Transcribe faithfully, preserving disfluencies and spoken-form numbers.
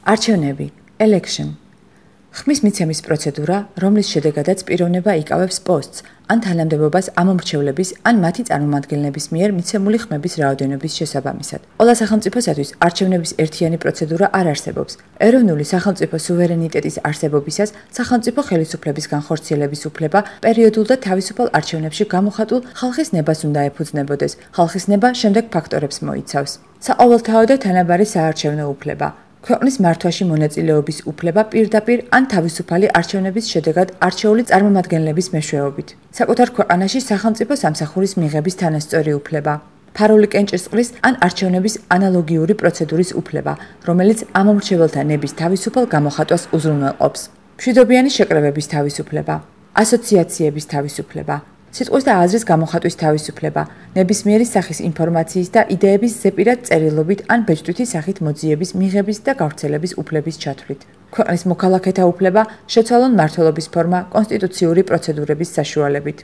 არჩევნები, election. ხმის მიცემის პროცედურა, რომლის შედეგადაც პიროვნება იკავებს პოსტს, ან თანამდებობას ამომრჩევლების, ან მათი წარმომადგენლების მიერ მიცემული ხმების რაოდენობის შესაბამისად. ყველა სახელმწიფოსათვის არჩევნების ერთიანი პროცედურა არ არსებობს. ეროვნული სახელმწიფო სუვერენიტეტის არსებობისას სახელმწიფო ხელისუფლების განხორციელების უფლება პერიოდულ და თავისუფალ არჩევნებში გამოხატულ ხალხის ნებას უნდა ეფუძნებოდეს. ხალხის ნება შემდეგ ფაქტორებს მოიცავს. საყოველთაო და თანაბარი საარჩევნო უფლება. ქვეყნის მართვაში მონაწილეობის უფლება პირდაპირ ან თავისუფალი არჩევნების შედეგად არჩეული წარმომადგენლების მეშვეობით. საკუთარ ქვეყანაში სახელმწიფო სამსახურის მიღების თანასწორი უფლება. ფარული კენჭისყრის ან არჩევნების ანალოგიური პროცედურის უფლება, რომელიც ამომრჩეველთა ნების თავისუფალ გამოხატვას უზრუნველყოფს. მშვიდობიანი შეკრებების თავისუფლება, ასოციაციების თავისუფლება. სიტყვის და აზრის გამოხატვის თავისუფლება, ნებისმიერი სახის ინფორმაციის და იდეების ზეპირად წერილობით ან ბეჭდვითი სახით მოძიების, მიღების და გავრცელების უფლების ჩათვლით. ქვეყნის მოქალაქეთა უფლება, შეცვალონ მმართველობის ფორმა კონსტიტუციური პროცედურების საშუალებით.